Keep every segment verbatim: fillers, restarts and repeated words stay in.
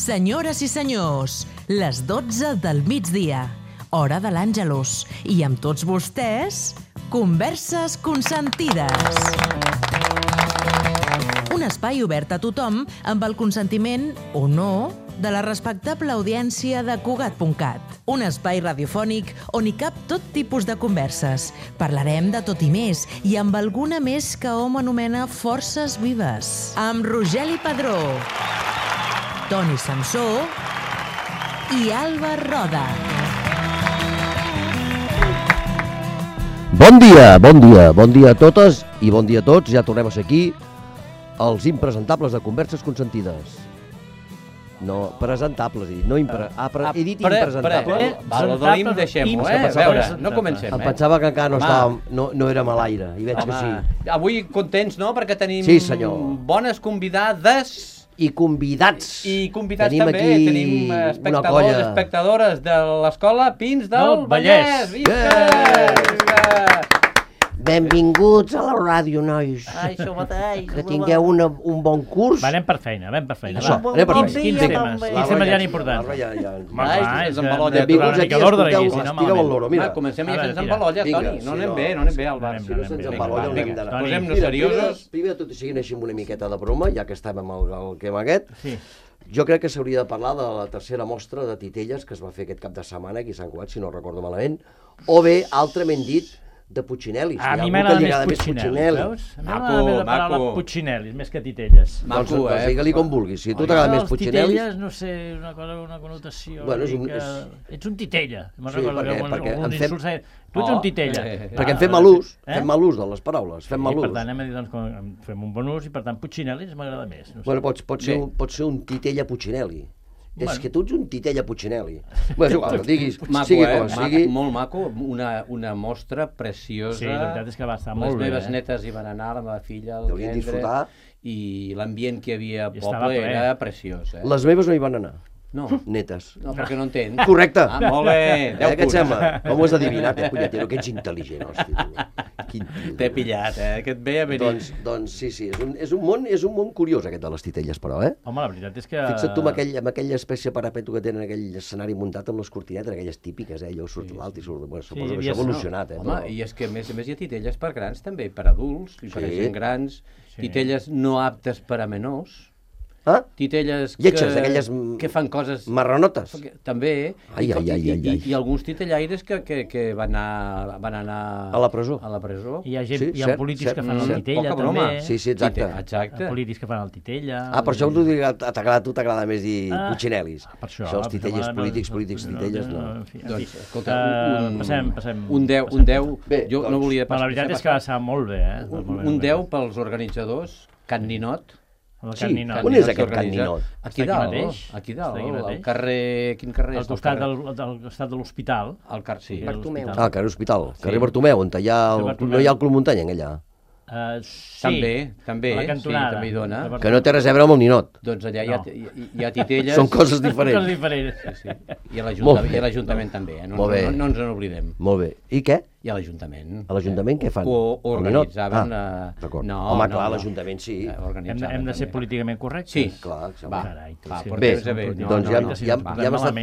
Senyores i senyors, les dotze del migdia, hora de l'Àngelus, i amb tots vostès, Converses Consentides. Un espai obert a tothom amb el consentiment, o no, de la respectable audiència de Cugat punt cat. Un espai radiofònic on hi cap tot tipus de converses. Parlarem de tot i més, i amb alguna més que hom anomena forces vives. Amb Rogeli Padró, Toni Samsó i Alba Roda. Bon dia, bon dia, bon dia a totes i bon dia a tots. Ja tornem a ser aquí, els impresentables de Converses Consentides. No, presentables, he dit, no impre... Ah, pre... he dit impresentables. Eh, Val, el de l'im deixem-ho, eh? A veure, no comencem, eh? Em pensava que encara no, estàvem, no, no érem a l'aire, i veig que sí. Avui contents, no?, perquè tenim sí, senyor. bones convidades... I convidats. I convidats tenim també, aquí tenim espectadors, colla... espectadores de l'escola Pins del no, Vallès. Vallès. Visca! Benvinguts a la ràdio, nois. Ai, això mateix. Que tingueu una, un bon curs. Va, anem per feina, anem per feina. Això, va. anem per Quins, feina. quins temes? Quins temes hi ha importants? Ja, ja. Home, clar, és que benvinguts aquí, escolteu, estireu el loro, mira. Va, comencem ja fent embalolla, Toni. No anem bé, no anem bé, Alba. Si no se'ns embalolla, no hem d'anar. Posem-nos seriosos. Primer de tot, siguin així amb una miqueta de broma, ja que estem amb el, el tema aquest. Sí. Jo crec que s'hauria de parlar de la tercera mostra de titelles que es va fer aquest cap de setmana aquí a Sant Cugat, si no recordo malament, o bé, altrament dit, de Puccinellis. A mi m'agrada més Puccinelli, veus? A mi m'agrada més la paraula Puccinellis, més que titelles. Maco, doncs, eh? Digue-li com vulguis. Si a tu t'agrada més Puccinellis... Titelles, no sé, una cosa, una connotació... Bueno, és un... Que... Ets un titella. Sí, perquè, perquè en fem... Tu ets un titella. Perquè en fem mal ús, fem mal ús de les paraules, fem mal ús. Per tant, hem de dir, doncs, fem un bon ús i, per tant, Puccinellis m'agrada més. Bueno, pot ser un titella Puccinelli. Bueno. És que tu ets un titella Puccinelli. Bueno, és igual, diguis, maco, sigui eh? com sigui. Molt maco, una, una mostra preciosa. Sí, la veritat és que va estar molt bé. Les meves eh? netes hi van anar, la meva filla, el Deurien disfrutar. I l'ambient que hi havia al poble era preciós. Eh? Les meves no hi van anar. No. Netes. No, perquè no entens. Correcte. Ah, molt bé. Eh, què et sembla? Com ho has adivinat, eh, punyetero? Que ets intel·ligent, hòstia. Quin tio. T'he pillat, eh? Que et ve a venir. Doncs, doncs sí, sí. És un, és, un món, és un món curiós, aquest de les titelles, però, eh? Home, la veritat és que... Fixa't tu amb, aquell, amb aquella espècie de parapeto que tenen aquell escenari muntat amb les cortinetes, aquelles típiques, eh? Allò surt sí, l'alt i surt... Bueno, suposo sí, que això ha evolucionat, eh? Home, però... i és que a més a més hi ha titelles per grans també, per adults, i per sí. gent grans, sí. titelles no aptes per a menors. Ah? Titelles lletges, que, aquelles que fan coses... marranotes. També. Ai, ai, ai, ai, ai. I, i alguns titellaires que, que, que van, anar, van anar... A la presó. A la presó. Hi ha, gent, sí, hi ha cert, polítics cert, que fan cert, el titella, també. Sí, sí, exacte. exacte. Hi ha polítics que fan el titella. Ah, per això tu t'agrada, tu t'agrada més dir ah, Puccinellis. Per això. Això, els titelles polítics, polítics, titelles, no. Doncs, escolta, un... Passem, passem. Un deu, un deu... Jo no volia passar... La veritat és que va ser molt bé, eh? Un deu pels organitzadors, Can Ninot. Sí, on és aquest Can Ninot? Aquí dalt, aquí dalt, al carrer... Quin carrer és? Al costat del costat de l'hospital. Al carrer, sí. Bartomeu. Ah, carrer Hospital, carrer Bartomeu, on hi ha no hi ha el Club Muntanya, allà. Uh, sí, també, també, sí, també hi dona. Que no té res a veure amb el ninot. Doncs allà hi ha, hi, hi ha titelles... Són coses diferents. Són coses diferents. Sí, sí. I a l'Ajuntament també, eh? no, no, no ens n'oblidem. Molt bé. I què? I a l'Ajuntament. A l'Ajuntament què fan? O organitzaven... Ah, d'acord. No, home, no, clar, no. l'Ajuntament sí. Hem, hem de ser políticament correctes? Sí. Clar, va, Carai, va, sí. Bé, bé. No, doncs ja, no, ja, no, ja, hem estat,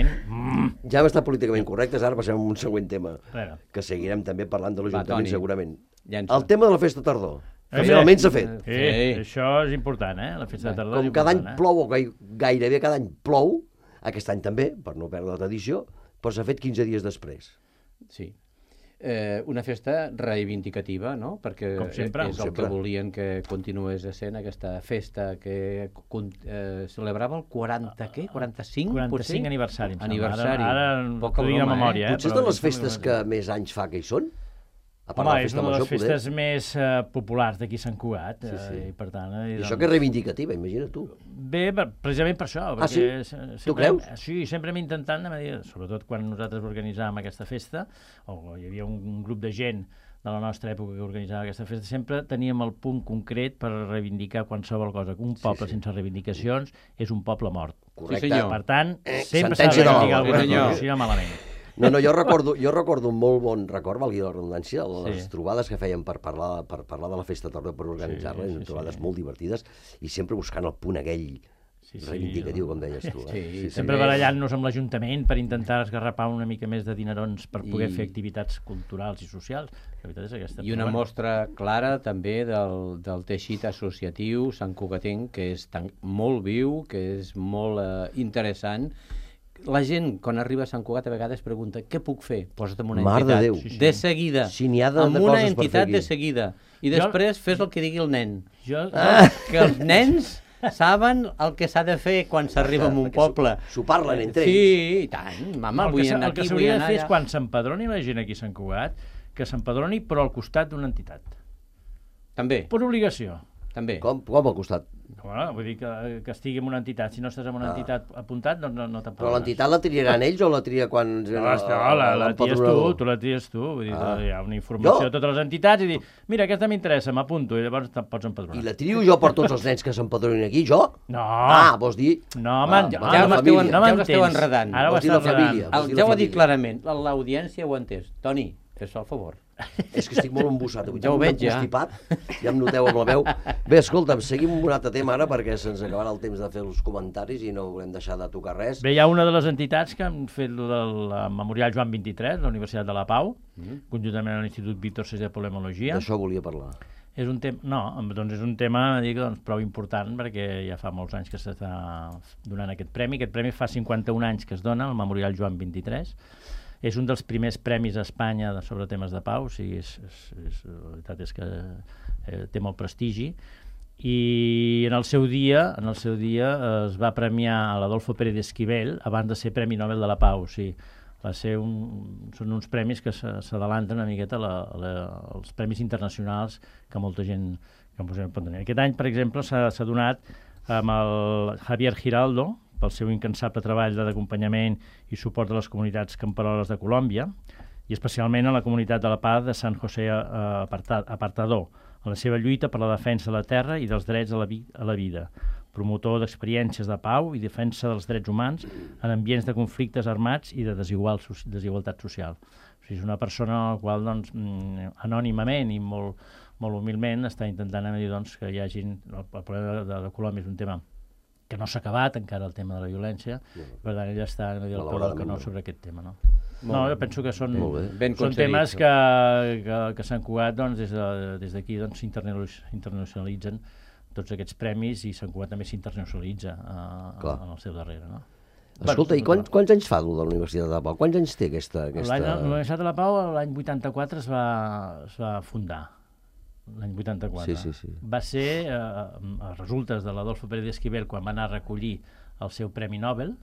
ja hem estat políticament correctes, ara passem a un següent tema, bueno. que seguirem també parlant de l'Ajuntament segurament. Llença. El tema de la festa tardor. Que finalment s'ha fet. Sí, sí, això és important, eh? La festa de tardor com cada any eh? plou, o gairebé cada any plou, aquest any també, per no perdre la tradició, però s'ha fet quinze dies després. Sí. Eh, una festa reivindicativa, no? Perquè sempre, és el sempre. que volien que continués essent aquesta festa que eh, celebrava el quaranta, què? quaranta-cinc? quaranta-cinc aniversari. Aniversari. Ara, ara poca broma, broma, memòria, eh? Potser és de les festes que més anys fa que hi són? Home, és una de les festes més uh, populars d'aquí a Sant Cugat. Sí, sí. Uh, i per tant, uh, I doncs... això que és reivindicativa, imagina tu. Bé, precisament per això. Ah, sí? Sempre, tu creus? Sí, sempre hem intentat, sobretot quan nosaltres organitzàvem aquesta festa, o hi havia un, un grup de gent de la nostra època que organitzava aquesta festa, sempre teníem el punt concret per reivindicar qualsevol cosa. Un poble sí, sí. sense reivindicacions és un poble mort. Correcte. Sí, senyor. Per tant, eh, sempre s'ha de reivindicar alguna cosa, si no malament. No, no, jo recordo, jo recordo un molt bon record, valgui la redundància, les sí. trobades que fèiem per parlar, per parlar de la festa tardor, per organitzar-la, sí, sí, trobades sí. molt divertides, i sempre buscant el punt aquell Sí, sí, reivindicatiu, com deies tu. Eh? Sí, Sí, sí. sempre barallant-nos amb l'Ajuntament per intentar esgarrapar una mica més de dinerons per poder I- fer activitats culturals i socials. La veritat és aquesta. I una Però, bueno, mostra clara també del, del teixit associatiu Sant Cugatenc, que és tan, molt viu, que és molt eh, interessant. La gent, quan arriba a Sant Cugat, a vegades pregunta què puc fer? Posa't en una Mare de entitat. Déu. Sí, sí. De seguida. Si n'hi ha de- amb de una coses per fer entitat aquí. de seguida. I després fes el que digui el nen. jo, Ah. Que els nens saben el que s'ha de fer quan s'arriba a un Perquè poble. s'ho parlen entre ells. Sí, i tant. Mama, el vull que, s'ha- anar el que aquí, vull s'hauria de anar fer és allà. quan s'empadroni la gent aquí a Sant Cugat, que s'empadroni però al costat d'una entitat. També, Per obligació. també. Com, com al costat? Bueno, vull dir que, que estigui en una entitat. Si no estàs en una Ah. entitat apuntat, doncs no, no t'empadrones. Però l'entitat la triaran ells o la tria quan... No, no, la, la tries tu, tu la tries tu. Vull dir, Ah. hi ha una informació Jo? de totes les entitats i dir, mira, aquesta m'interessa, m'apunto, i llavors te'n pots empadronar. I la trio jo per tots els nens que s'empadronin aquí, jo? No, Ah, vols dir... no, Ah, man, ja- no, ja no m'esteu m'entens. en- no ja us esteu m'entens. enredant. Ara ho Vols dir la estàs enredant. família. El, Vols dir ja la ho ha dit família. clarament, l'audiència ho ha entès. Toni, fes el favor. És que estic molt embussat avui. Ja ho veig, ja. Constipat, ja em noteu amb la veu. Bé, escolta'm, seguim amb un altre tema ara perquè se'ns acabarà el temps de fer els comentaris i no volem deixar de tocar res. Bé, hi ha una de les entitats que han fet lo del eh, Memorial Joan vint-i-tres, la Universitat de la Pau, mm. conjuntament amb l'Institut Víctor Seix de Polemologia. D'això volia parlar. És un tema, no, doncs és un tema dic, doncs, prou important perquè ja fa molts anys que s'està donant aquest premi. Aquest premi fa cinquanta-un anys que es dona, el Memorial Joan vint-i-tres. És un dels primers premis a Espanya de, sobre temes de pau, o sigui, és, és, és, la veritat és que eh, té molt prestigi. I en el seu dia, en el seu dia eh, es va premiar a l'Adolfo Pérez Esquivel abans de ser Premi Nobel de la Pau. O sigui, va ser un, són uns premis que s'adelanten una miqueta a la, a la, als premis internacionals que molta gent que pot tenir. Aquest any, per exemple, s'ha donat amb el Javier Giraldo, pel seu incansable treball d'acompanyament i suport a les comunitats camperoles de Colòmbia, i especialment a la comunitat de la Paz de San José Apartador, en la seva lluita per la defensa de la terra i dels drets a la, vi a la vida, promotor d'experiències de pau i defensa dels drets humans en ambients de conflictes armats i de desigual, desigualtat social. O sigui, és una persona a la qual, doncs, anònimament i molt, molt humilment està intentant dir doncs, que hi hagi... El problema de, de Colòmbia és un tema que no s'ha acabat encara, el tema de la violència, no. Per tant, ella està no dir el peu del canó sobre aquest tema. No, no jo penso que són, ben són temes que, que, que Sant Cugat, doncs, des d'aquí de, doncs, s'internacionalitzen tots aquests premis i Sant Cugat també s'internacionalitza uh, en el seu darrere. No? Escolta, i quants, quants anys fa de la Universitat de la Pau? Quants anys té aquesta... aquesta... La Universitat de la Pau l'any vuitanta-quatre es va, es va fundar. L'any vuitanta-quatre. Sí, sí, sí. Va ser, eh, a resultes de l'Adolfo Pérez Esquivel, quan va anar a recollir el seu Premi Nobel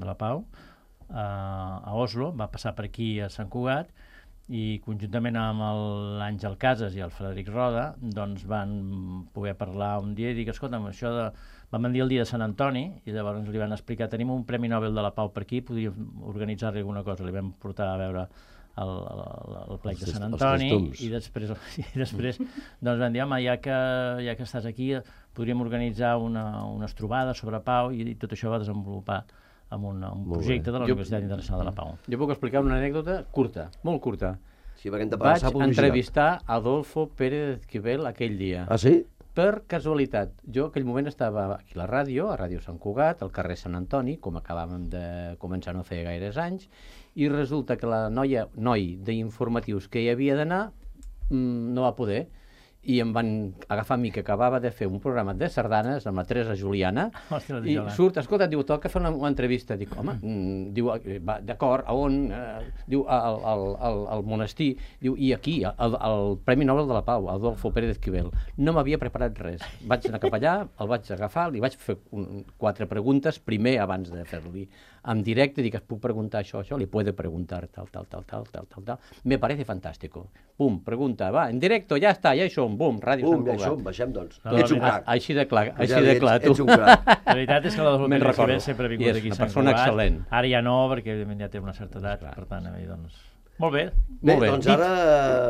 de la Pau, eh, a Oslo, va passar per aquí a Sant Cugat, i conjuntament amb l'Àngel Casas i el Frederic Roda, doncs van poder parlar un dia i dir, escolta'm, això de... Vam dir el dia de Sant Antoni, i llavors li van explicar, tenim un Premi Nobel de la Pau per aquí, podríem organitzar-li alguna cosa. Li vam portar a veure el, el, el plec de Sant Antoni i després, i després doncs van dir, home, ja que, ja que estàs aquí podríem organitzar una, unes trobades sobre pau, i tot això va desenvolupar amb un, un projecte de la Universitat Internacional de la Pau. Jo puc explicar una anècdota curta, molt curta. Sí, perquè hem de Vaig passar publicitat. entrevistar Adolfo Pérez Esquivel aquell dia. Ah, sí? Per casualitat. Jo aquell moment estava aquí a la ràdio, a Ràdio Sant Cugat, al carrer Sant Antoni, com acabàvem de començar no feia gaires anys, i resulta que la noia, noi d'informatius que hi havia d'anar mmm, no va poder, i em van agafar a mi, que acabava de fer un programa de sardanes amb la Teresa Juliana. Hòstia, i surt, escolta, diu, toca fer una, una entrevista. Dic, home, mm, diu, d'acord, a on? Eh, diu, al, al, al, al monestir. Diu, i aquí, al, al Premi Nobel de la Pau, Adolfo Pérez Esquivel. No m'havia preparat res. Vaig anar cap allà, el vaig agafar, li vaig fer un, quatre preguntes, primer abans de fer-li en directe, dic, es puc preguntar això, això, li puede preguntar tal, tal, tal, tal, tal, tal, tal. Me parece fantástico. Pum, pregunta, va, en directo, ja està, ja hi som, bum, Ràdio Sant Cugat. Bum, ja hi som, baixem, doncs. No, ets un crac. Així de clar, Pues així ja de ets, clar, tu. ets un crac. La veritat és que l'Adolfo Pérez Esquivel sempre ha vingut aquí a Sant Cugat. És una persona excel·lent. Ara ja no, perquè ja té una certa edat, per tant, a mi, doncs... Molt bé. Bé, Molt bé. doncs ara,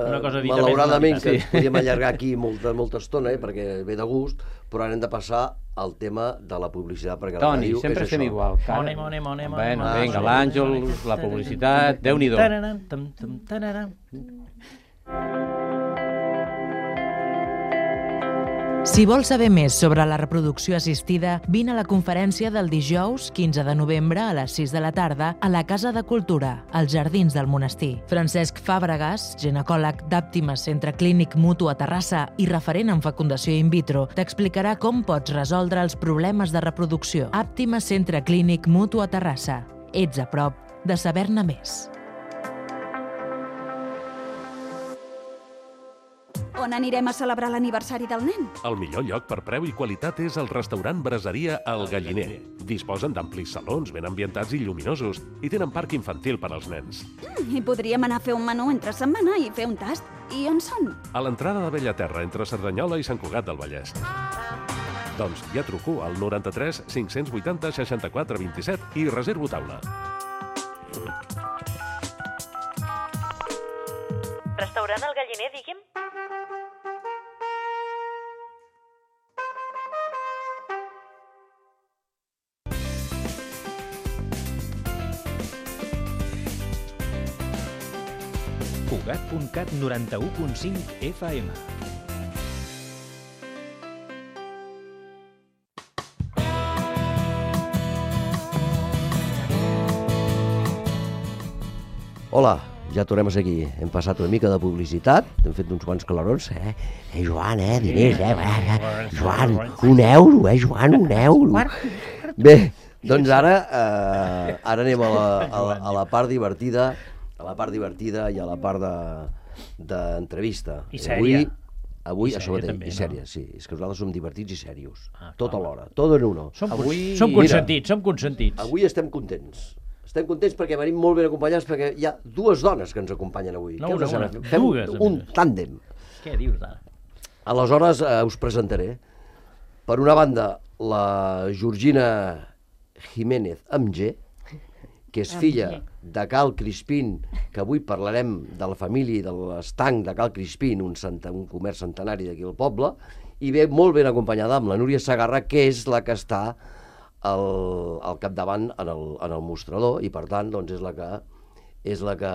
Una cosa dita malauradament, més, que sí. ens podíem allargar aquí molta, molta estona, eh, perquè ve de gust, però ara hem de passar al tema de la publicitat, perquè la Toni, ràdio sempre és estem això. igual. Mone, mone, mone, mone. Bueno, mone, vinga, mone, l'Àngel, la publicitat, Déu-n'hi-do. Tararam, tam, tam, tararam. Si vols saber més sobre la reproducció assistida, vine a la conferència del dijous quinze de novembre a les sis de la tarda a la Casa de Cultura, als Jardins del Monestir. Francesc Fàbregas, ginecòleg d'Àptima Centre Clínic Mutu a Terrassa i referent en fecundació in vitro, t'explicarà com pots resoldre els problemes de reproducció. Àptima Centre Clínic Mutu a Terrassa. Ets a prop de saber-ne més. On anirem a celebrar l'aniversari del nen? El millor lloc per preu i qualitat és el restaurant Braseria El Galliner. Disposen d'amplis salons ben ambientats i lluminosos i tenen parc infantil per als nens. Mm, I podríem anar a fer un menú entre setmana i fer un tast. I on són? A l'entrada de Bellaterra, entre Cerdanyola i Sant Cugat del Vallès. Doncs ja truco al noranta-tres cinc-cents vuitanta seixanta-quatre vint-i-set i reservo taula. Restaurant El Galliner, digui'm? Cugat punt cat noranta-u punt cinc F M. Hola, ja tornem a ser aquí. Hem passat una mica de publicitat, hem fet uns quants calarons. Eh, eh Joan, eh, diners, eh, eh, Joan, un euro, eh, Joan, un euro. Bé, doncs ara, eh, ara anem a la, a, la, a la part divertida, a la part divertida i a la part d'entrevista. I sèria. Avui, avui I això sèria mateix, també, i no? sèria, sí. És que nosaltres som divertits i serios. Ah, tot clar. alhora, tot en uno. Som, Avui- som Mira, consentits, som consentits. Avui estem contents. Estem contents perquè venim molt ben acompanyats, perquè hi ha dues dones que ens acompanyen avui. No, Què una, us sembla? una. Fem Dues, a un més. tàndem. Què dius ara? Aleshores, eh, us presentaré. Per una banda, la Georgina Jiménez amb G, que és filla de Cal Crispín, que avui parlarem de la família i de l'estanc de Cal Crispín, un, centa, un comerç centenari d'aquí al poble, i ve molt ben acompanyada amb la Núria Segarra, que és la que està al, al capdavant en el, en el mostrador, i per tant doncs, és la que és la que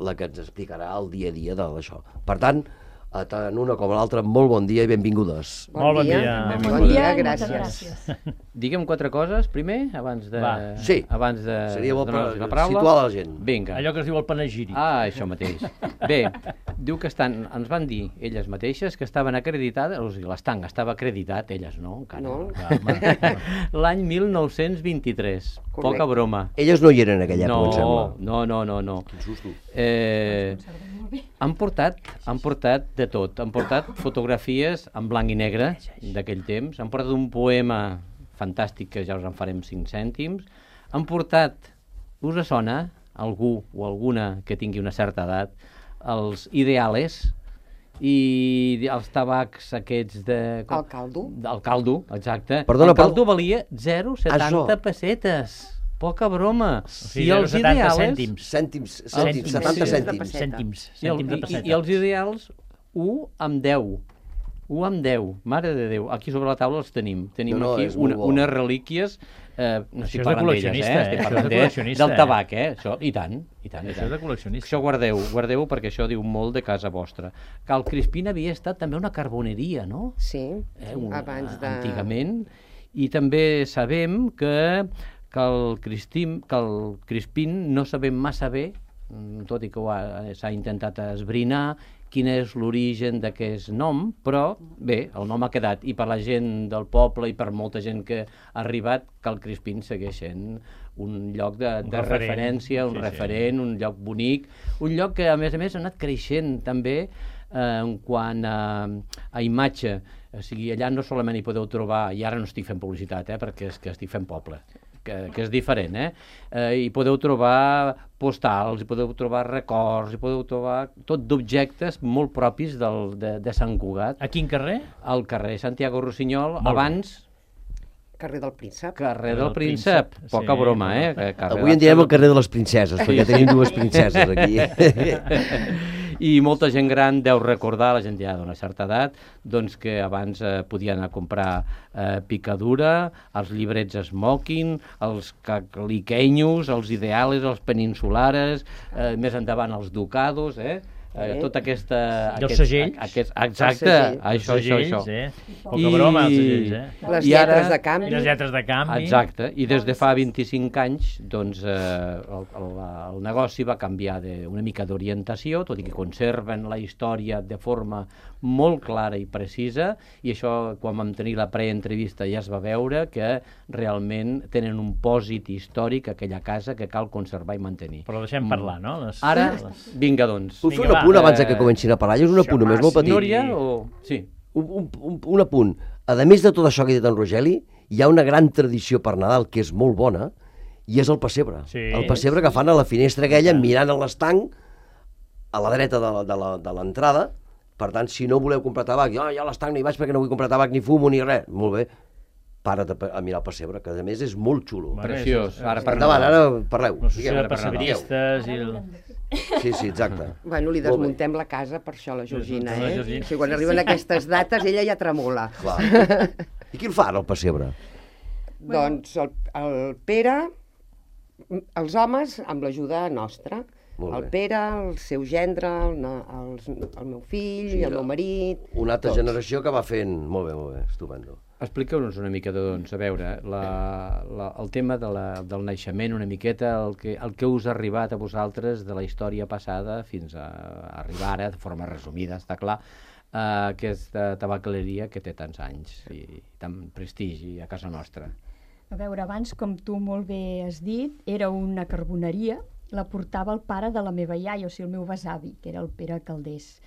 la que ens explicarà el dia a dia d'això. Per tant, a tant una com l'altra, molt bon dia i benvingudes. Molt bon dia. Bon dia, gràcies. Digue'm quatre coses, primer, abans de... Va. Sí. Abans de... Seria bo per donar-los la paraula. situar la gent. Vinga. Allò que es diu el panegíric. Ah, això mateix. Bé, diu que estan, ens van dir elles mateixes que estaven acreditades, o sigui, l'estanc estava acreditat, elles no, encara. No. L'any mil nou-cents vint-i-tres. Correcte. Poca broma. Elles no hi eren en aquella època, em sembla. No, no, no, no. Quin susto. Eh, han portat, han portat de tot. Han portat fotografies en blanc i negre d'aquell temps. Han portat un poema fantàstic que ja us en farem cinc cèntims. Han portat, us sona, algú o alguna que tingui una certa edat, els ideales i els tabacs aquests de... El caldo. El caldo, exacte. Perdona, el caldo però- valia zero coma setanta Això. pessetes. Poca broma. O sigui, zero coma setanta cèntims. Cèntims, Cèntims, cèntims, setanta sí. cèntims. Cèntims. I, el, Cèntims de i, pessetes. I els ideals, u amb deu. u amb deu. Mare de Déu. Aquí sobre la taula els tenim. Tenim No, no, aquí és molt una, bo. unes relíquies... Eh, no Això estic és de parlant d'elles, col·leccionista, eh? eh? Estic Això és parlant de de, col·leccionista, del eh? tabac, eh? Això, i tant, i tant. I Això és tant. de col·leccionista. Això guardeu, guardeu perquè això diu molt de casa vostra. Cal Crispín havia estat també una carboneria, no? Sí, Eh, un, abans de... Antigament. I també sabem que, que, el Cristim, que el Crispín no sabem massa bé, mm, tot i que ho ha- s'ha intentat esbrinar, quin és l'origen d'aquest nom, però bé, el nom ha quedat, i per la gent del poble i per molta gent que ha arribat, que el Crispín segueix sent un lloc de, Un de referent. referència, un Sí, sí. referent, un lloc bonic, un lloc que a més a més ha anat creixent també eh, en quant a, a imatge. O sigui, allà no solament hi podeu trobar, i ara no estic fent publicitat, eh, perquè és que estic fent poble, que, que és diferent, eh? eh? Hi podeu trobar postals, hi podeu trobar records, hi podeu trobar tot d'objectes molt propis del, de, de Sant Cugat. A quin carrer? Al carrer Santiago Rossinyol, Molt bé. abans Carrer del Príncep. carrer del del Príncep. Príncep, Poca sí, broma, eh? correcte. Carrer Avui en del- direm el carrer de les princeses, perquè tenim dues princeses aquí. I molta gent gran deu recordar, la gent ja d'una certa edat, doncs que abans eh, podien anar a comprar eh, picadura, els llibrets smoking, els cacliquenyos, els ideales, els peninsulares, eh, més endavant els ducados, eh? eh, tota aquesta... I els aquest, segells. Aquest, exacte, segells. això, Els això, segells, això. eh? Poca broma, els segells, eh? Les I ara- lletres de canvi. I les lletres de canvi. Exacte, i des de fa vint-i-cinc anys doncs, eh, el, el, el negoci va canviar de, una mica d'orientació, tot i que conserven la història de forma molt clara i precisa, i això, quan vam tenir la preentrevista, ja es va veure que realment tenen un pòsit històric a aquella casa que cal conservar i mantenir. Però deixem parlar, no? Les, Ara, les... vinga, doncs. Puc fer Vinga, un apunt va, abans de eh, que comencin a parlar? És un apunt només molt petit. Núria o... Sí. Un, un, un, un apunt. A més de tot això que ha dit en Rogeli, hi ha una gran tradició per Nadal que és molt bona, i és el pessebre. Sí. El pessebre que fan a la finestra aquella, mirant a l'estanc, a la dreta de la- de la- de l'entrada. Per tant, si no voleu comprar tabac, jo ja a l'estanc no hi vaig perquè no vull comprar tabac, ni fumo, ni res. Molt bé. Para't a, a mirar el pessebre, que a més és molt xulo. Bueno, Preciós. és- Ara per Endavant, Nadal. ara parleu. La Digueu, societat ara per Nadal. persebristes i el... Sí, sí, exacte. Bueno, li Molt bé. desmuntem la casa per això, la Georgina, La eh? Georgina. O sigui, quan arriben aquestes dates, ella ja tremola. Clar. I qui el fa, ara, el pessebre? Doncs el, el Pere, els homes, amb l'ajuda nostra. Molt El bé. Pere, el seu gendre, el, na- els, el meu fill, Sí, el meu marit... Una altra tots. generació que va fent... Molt bé, molt bé, estupendo. Expliqueu-nos una mica, doncs, a veure, la, la, el tema de la, del naixement, una miqueta, el que, el que us ha arribat a vosaltres de la història passada fins a arribar ara, de forma resumida, està clar, a aquesta tabacaleria que té tants anys i tant prestigi a casa nostra. A veure, abans, com tu molt bé has dit, era una carboneria, la portava el pare de la meva iaia, o sigui, el meu besavi, que era el Pere Caldés.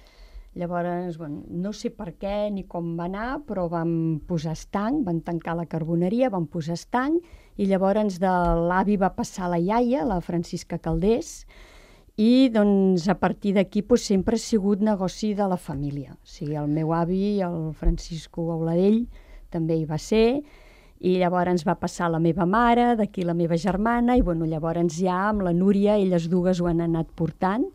Llavors, bueno, no sé per què ni com va anar, però vam posar estanc, van tancar la carboneria, vam posar estanc, i llavors de l'avi va passar la iaia, la Francisca Caldés, i doncs a partir d'aquí doncs, sempre ha sigut negoci de la família. O sigui, el meu avi, el Francisco Auladell, també hi va ser, i llavors va passar la meva mare, d'aquí la meva germana, i bueno, llavors ja amb la Núria, elles dues ho han anat portant,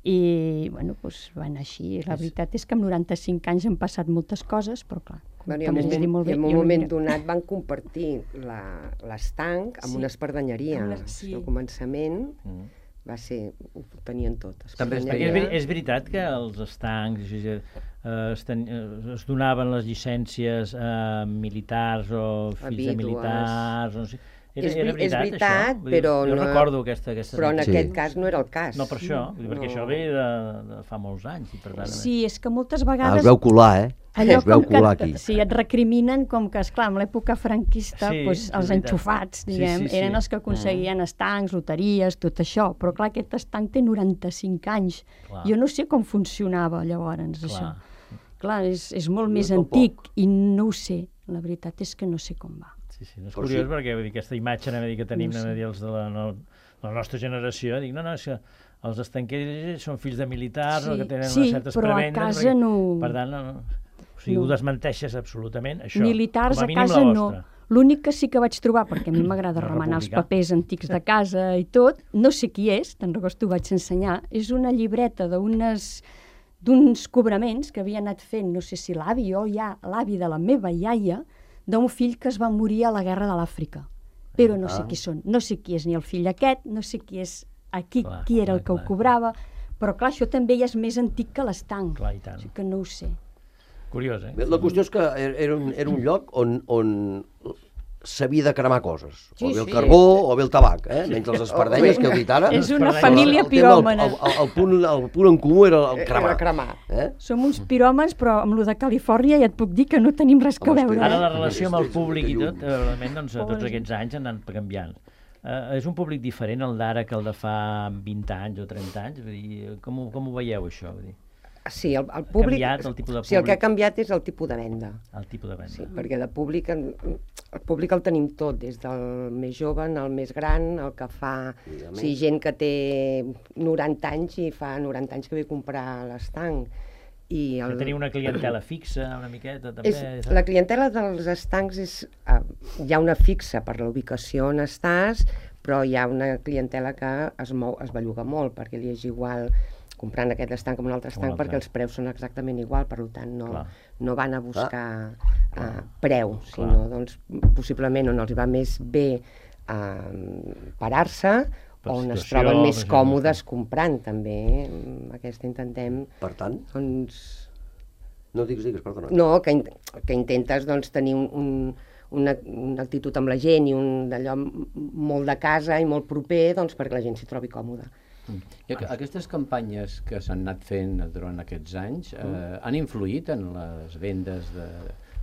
i bueno, doncs va anar així. La veritat és que amb noranta-cinc anys han passat moltes coses, però clar, com Bueno, i, com en has dit moment, molt i bé, en un jo no moment mira- donat van compartir la- l'estanc amb Sí. una espardenyeria. Amb la- O sí. sigui, al començament Mm. va ser... ho tenien tot. També es Perquè és, espardenyeria. ver- és veritat que els estancs eh, es, ten, eh, es donaven les llicències a militars o fills de vídues. militars, no sé. Era, És era veri- és veritat, veritat, això? Vull dir, però jo no- recordo aquesta, aquesta Però en Sí. aquest cas no era el cas. No per això, vull dir, perquè No. això ve de, de fa molts anys. I per tant, Sí, és que moltes Ah, vegades... us veu colar, eh? Allò us veu com colar que, aquí. sí, et recriminen com que, esclar, en l'època franquista, Sí, doncs, és els veritat. enxufats, Sí, diguem, sí, sí. eren els que aconseguien estancs, loteries, tot això. Però, clar, aquest estanc té noranta-cinc anys. Clar. Jo no sé com funcionava llavors, Clar. això. Clar, és, és molt No, més tampoc. antic i no ho sé. La veritat és que no sé com va. Sí, sí, no és Però curiós sí. perquè vull dir, aquesta imatge anem a dir, que tenim No anem a sé. dir, els de la, no, la nostra generació, dic, no, no, és que els estanquers són fills de militars o Sí, que tenen sí, unes certes però a prebendes. casa no- Per tant, no, no, o sigui, no. ho desmenteixes absolutament, això. Militars com a a mínim casa la no. vostra. L'únic que sí que vaig trobar, perquè a mi m'agrada La remenar els República. papers antics de casa i tot, no sé qui és, te'n recordes, t'ho vaig ensenyar, és una llibreta d'unes d'uns cobraments que havia anat fent, no sé si l'avi o ja l'avi de la meva iaia, d'un fill que es va morir a la guerra de l'Àfrica. Però no sé Ah. qui són, no sé qui és ni el fill aquest, no sé qui és aquí, Clar, qui era el clar, que ho clar. cobrava, però clar, això també ja és més antic que l'estanc. Clar, i tant. O sigui que no ho sé. Curiós, eh? Bé, la qüestió és que era era un, era un lloc on, on s'havia de cremar coses. Sí, o bé el sí. carbó o bé el tabac, eh? Menys les espardenyes que heu dit ara. És una Però família el, tema, el, piròmana. el, el, el, punt, el punt en comú era el Era cremar. cremar. Eh? Som uns piròmans, però amb lo de Califòrnia ja et puc dir que no tenim res que Home, veure. Ara eh? la relació amb el Sí, sí, públic i sí, tot, eh, realment, doncs, tots Pobres. aquests anys han anat canviant. Uh, és un públic diferent el d'ara que el de fa vint anys o trenta anys? Vull dir, com, ho, com ho veieu, això? Vull dir, Sí, el, el públic... canviat el tipus de Sí, el que ha públic? canviat és el tipus de venda. el tipus de venda. Sí, perquè de públic, en- el públic el tenim tot, des del més jove al més gran, el que fa... O sigui, gent que té noranta anys i fa noranta anys que ve a comprar l'estanc. I Que el, teniu una clientela fixa, una miqueta, també? és, la clientela dels estancs és... Uh, hi ha una fixa per la ubicació on estàs, però hi ha una clientela que es mou, es belluga molt, perquè li és igual comprant aquest estanc com un altre Com un estanc, altre. perquè els preus són exactament igual, per tant no, Clar. no van a buscar uh, preu, Clar. sinó doncs, possiblement on els va més bé uh, parar-se on es troben més còmodes comprant, també. Aquesta intentem... Per tant? Doncs... No, digues, digues, perdona. No, que, in que intentes doncs, tenir un, un, una, una actitud amb la gent i un d'allò molt de casa i molt proper doncs, perquè la gent s'hi trobi còmoda. I aquestes campanyes que s'han anat fent durant aquests anys eh, han influït en les vendes de,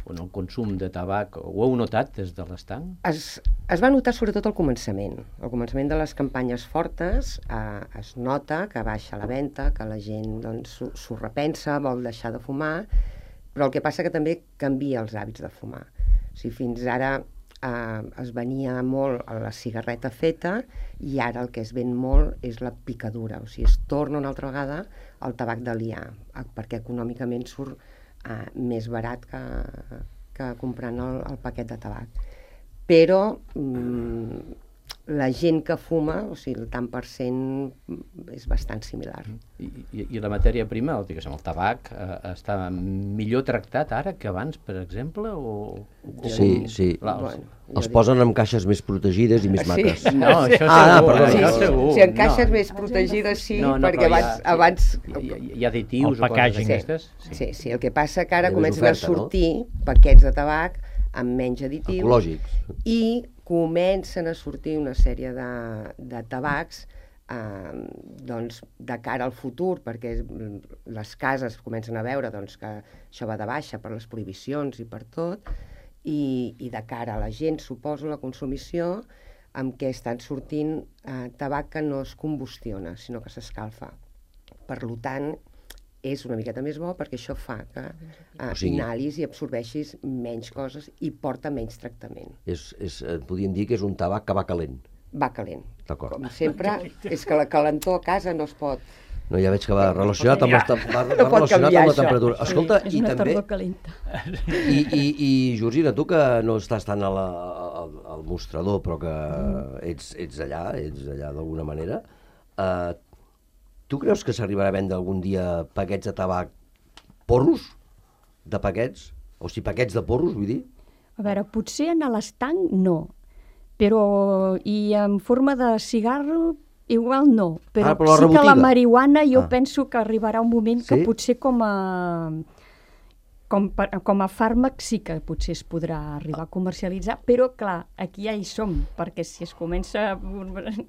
o en el consum de tabac? Ho heu notat des de l'estanc? Es, es va notar sobretot al començament. Al començament de les campanyes fortes eh, es nota que baixa la venda, que la gent doncs, s'ho repensa, vol deixar de fumar, però el que passa que també canvia els hàbits de fumar. O sigui, fins ara eh, es venia molt a la cigarreta feta i ara el que es ven molt és la picadura. O sigui, es torna una altra vegada al tabac de liar, perquè econòmicament surt eh, més barat que, que comprant el, el paquet de tabac. Però mm, la gent que fuma, o sigui, el tant per cent és bastant similar. I, i, i la matèria prima, el, diguéssim, el tabac, eh, està millor tractat ara que abans, per exemple? O, o sí, sí. La, els, bueno, els posen en caixes més protegides i més maques. Sí. No, això segur. Ah, perdó, això sí, segur. Si en caixes no. més protegides sí, no, no, perquè abans... Hi ha, abans... hi, hi, hi ha additius o coses d'aquestes? Sí. Sí, sí, el que passa que ara Hi ha comencen oferta, a sortir no? paquets de tabac amb menys additius. Ecològics. I comencen a sortir una sèrie de, de tabacs eh, doncs, de cara al futur, perquè les cases comencen a veure doncs, que això va de baixa per les prohibicions i per tot, i, i de cara a la gent, suposo, la consumició, amb què estan sortint eh, tabac que no es combustiona, sinó que s'escalfa. Per tant, és una miqueta més bo perquè això fa que eh, o sigui, inhalis i absorbeixis menys coses i porta menys tractament. És, és, podríem dir que és un tabac que va calent. Va calent. D'acord. Com sempre, és que la calentor a casa no es pot... No, ja veig que va relacionat amb, les, va no relacionat amb la temperatura. Sí, Escolta, és i una també... tardor calenta. I, i, i Georgina, tu que no estàs tant a la, al, al mostrador, però que ets, ets allà, ets allà d'alguna manera, eh, tu creus que s'arribarà a vendre algun dia paquets de tabac porros? De paquets? O sigui, paquets de porros, vull dir? A veure, potser en l'estanc no, però i en forma de cigarro igual no, però, ah, però sí rebotiga. Que la marihuana jo ah. penso que arribarà un moment sí? que potser com a, com, per, com a fàrmac sí que potser es podrà arribar a comercialitzar, però clar, aquí ja hi som, perquè si es comença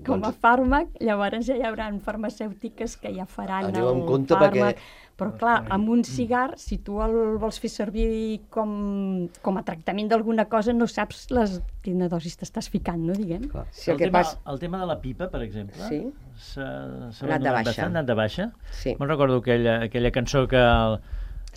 com a fàrmac, llavors ja hi haurà farmacèutiques que ja faran Aneu el en compte fàrmac. Perquè... Però clar, amb un cigar, si tu el vols fer servir com, com a tractament d'alguna cosa, no saps les, quina dosis t'estàs ficant, no, diguem? Sí, el, el, que tema, pas... el tema de la pipa, per exemple, sí? s'ha anat de baixa. Ha anat de baixa. Sí. Me'n recordo aquella, aquella cançó que... El,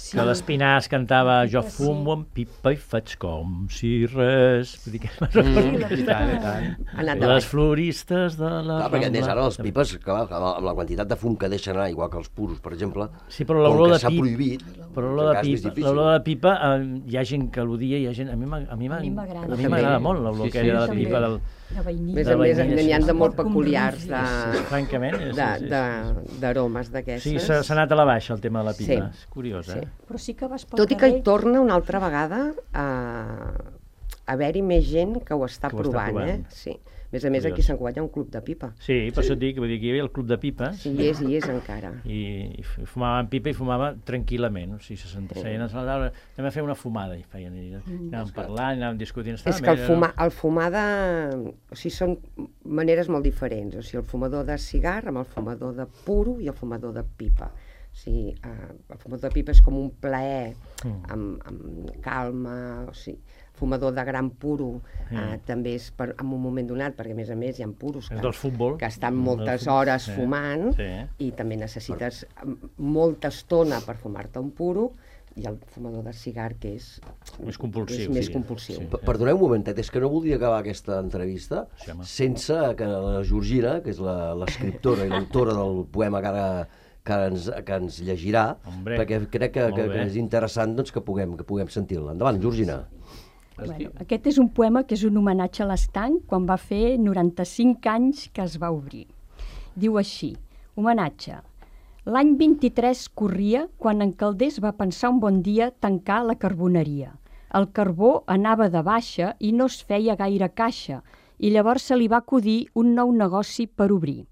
Sí. Que l'Espinàs cantava jo fumo amb pipa i faig com si res... Vull dir que mm. i tant, i tant. Les floristes de la... Clar, perquè més ara les pipes, clar, amb la quantitat de fum que deixen anar, igual que els puros, per exemple, sí, però com que s'ha prohibit, però l'olor de pipa, l'olor de pipa eh, hi ha gent que l'odia, hi ha gent... A mi m'agrada molt l'olor sí, que sí, hi ha de la sí, pipa del... A més a més, n'hi ha de molt peculiars de, francament, d'aromes d'aquestes. Sí, s'ha anat a la baixa el tema de la pipa. Sí. És curiós, eh? Sí. Però sí que vas pel Tot i que hi torna una altra vegada a haver-hi més gent que ho està que ho provant, està provant. eh? Sí. A més a més, aquí a Sant Cugat hi ha un club de pipa. Sí, per això et dic, vull dir que hi havia el club de pipes. Sí, hi és, hi és encara. I, i fumaven pipa i fumava tranquil·lament. O sigui, se sentia, sí. Anem a fer una fumada. I feien, i anàvem parlant, anàvem discutint. És que el fumar, el fumar de... O sigui, són maneres molt diferents. O sigui, el fumador de cigar amb el fumador de puro i el fumador de pipa. O sigui, eh, el fumador de pipa és com un plaer, mm. amb, amb calma, o sigui... fumador de gran puro eh, mm. també és per, en un moment donat, perquè a més a més hi ha puros que, que estan moltes hores sí. fumant sí. i també necessites molta estona per fumar-te un puro, i el fumador de cigar que és més compulsiu. És més sí. compulsiu. Sí. Perdoneu un momentet, és que no voldria acabar aquesta entrevista sí, sense que la Georgina, que és l'escriptora i l'autora del poema que ara que ens, que ens llegirà, Hombre, perquè crec que, que, que és interessant doncs, que puguem, que puguem sentir-la. Endavant, Georgina. Bueno, aquest és un poema que és un homenatge a l'estanc quan va fer noranta-cinc anys que es va obrir. Diu així, homenatge. L'any vint-i-tres corria quan en Calders va pensar un bon dia tancar la carboneria. El carbó anava de baixa i no es feia gaire caixa, i llavors se li va acudir un nou negoci per obrir.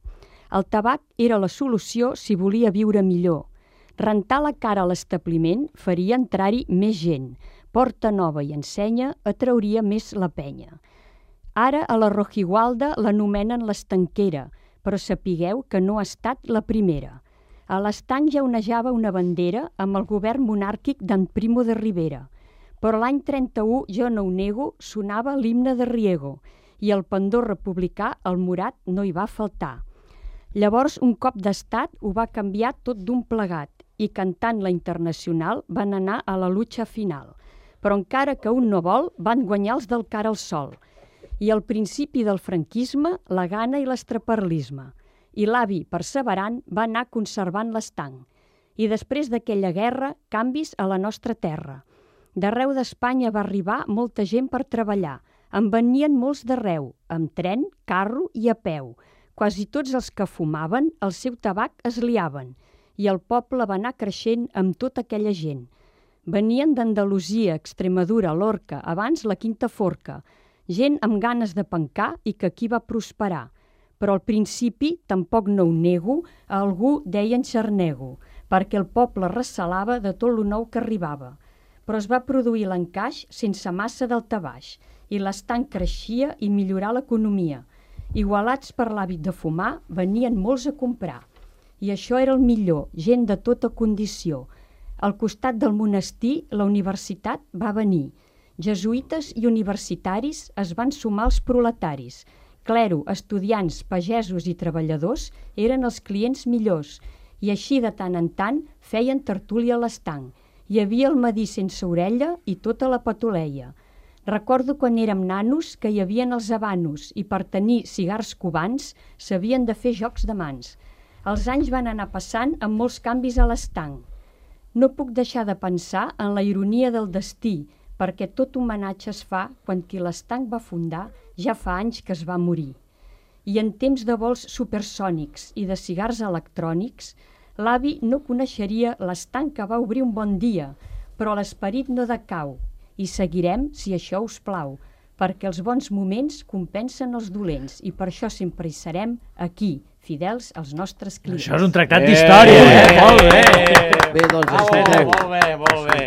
El tabac era la solució si volia viure millor. Rentar la cara a l'establiment faria entrar-hi més gent. Porta nova i ensenya atrauria més la penya. Ara a la Rojigualda l'anomenen l'estanquera, però sapigueu que no ha estat la primera. A l'estanc ja onejava una bandera amb el govern monàrquic d'en Primo de Rivera. Però l'any trenta-u, jo no ho nego, sonava l'himne de Riego i el pendó republicà, el morat, no hi va faltar. Llavors, un cop d'estat ho va canviar tot d'un plegat i cantant la Internacional van anar a la lucha final. Però encara que un no vol, van guanyar els del cara al sol. I al principi del franquisme, la gana i l'estraperlisme. I l'avi, perseverant, va anar conservant l'estanc. I després d'aquella guerra, canvis a la nostra terra. D'arreu d'Espanya va arribar molta gent per treballar. En venien molts d'arreu, amb tren, carro i a peu. Quasi tots els que fumaven, el seu tabac es liaven. I el poble va anar creixent amb tota aquella gent. Venien d'Andalusia, Extremadura, Lorca, abans la Quinta Forca. Gent amb ganes de pencar i que aquí va prosperar. Però al principi, tampoc no ho nego, a algú deien xarnego, perquè el poble recelava de tot lo nou que arribava. Però es va produir l'encaix sense massa daltabaix i l'estanc creixia i millorar l'economia. Igualats per l'hàbit de fumar, venien molts a comprar. I això era el millor, gent de tota condició. Al costat del monestir, la universitat va venir. Jesuïtes i universitaris es van sumar als proletaris. Clero, estudiants, pagesos i treballadors eren els clients millors i així de tant en tant feien tertúlia a l'estanc. Hi havia el Madí sense orella i tota la patoleia. Recordo quan érem nanos que hi havien els habanos i per tenir cigars cubans s'havien de fer jocs de mans. Els anys van anar passant amb molts canvis a l'estanc. No puc deixar de pensar en la ironia del destí, perquè tot homenatge es fa quan qui l'estanc va fundar ja fa anys que es va morir. I en temps de vols supersònics i de cigars electrònics, l'avi no coneixeria l'estanc que va obrir un bon dia, però l'esperit no decau, i seguirem si això us plau, perquè els bons moments compensen els dolents, i per això sempre hi serem aquí, fidels als nostres clients. Això és un tractat d'història, eh? Molt bé! Bé, doncs, escolteu. Molt bé, molt bé.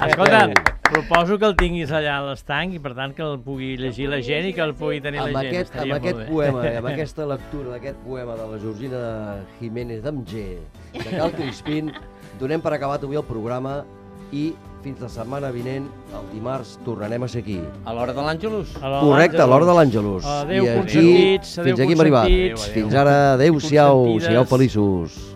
Escolta, proposo que el tinguis allà a l'estanc i per tant que el pugui llegir la gent i que el pugui tenir la gent. Amb aquest poema, amb aquesta lectura d'aquest poema de la Georgina Jiménez d'Amger, de Cal Crispín, donem per acabat avui el programa i fins la setmana vinent, el dimarts, tornarem a ser aquí. A l'hora de l'Àngelus. Correcte, a l'hora de l'Àngelus. Adéu, consentits. Fins aquí hem arribat. Fins ara, adéu-siau, sigueu feliços.